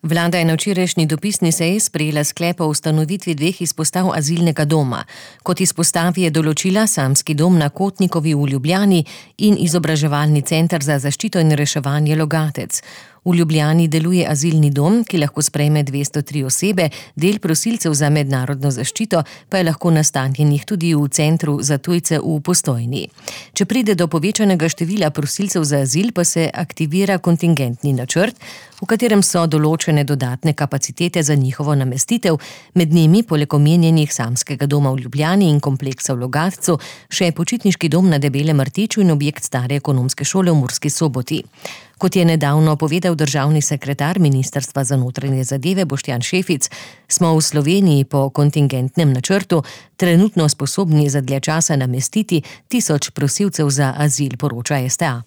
Vlada je na včerajšnji dopisni seji sprejela sklep o ustanovitvi 2 izpostav azilnega doma. Kot izpostavi je določila Samski dom na Kotnikovi v Ljubljani in Izobraževalni center za zaščito in reševanje Logatec. V Ljubljani deluje azilni dom, ki lahko sprejme 203 osebe, del prosilcev za mednarodno zaščito pa je lahko nastanjenih tudi v centru za tujce v Postojni. Če pride do povečanega števila prosilcev za azil, pa se aktivira kontingentni načrt, v katerem so določene dodatne kapacitete za njihovo namestitev, med njimi poleg omenjenih Samskega doma v Ljubljani in kompleksa v Logatcu, še počitniški dom na Debelem rtiču in objekt stare ekonomske šole v Murski Soboti. Kot je nedavno povedal državni sekretar Ministrstva za notranje zadeve Boštjan Šefic, smo v Sloveniji po kontingentnem načrtu trenutno sposobni za dlje časa namestiti 1000 prosilcev za azil, poroča STA.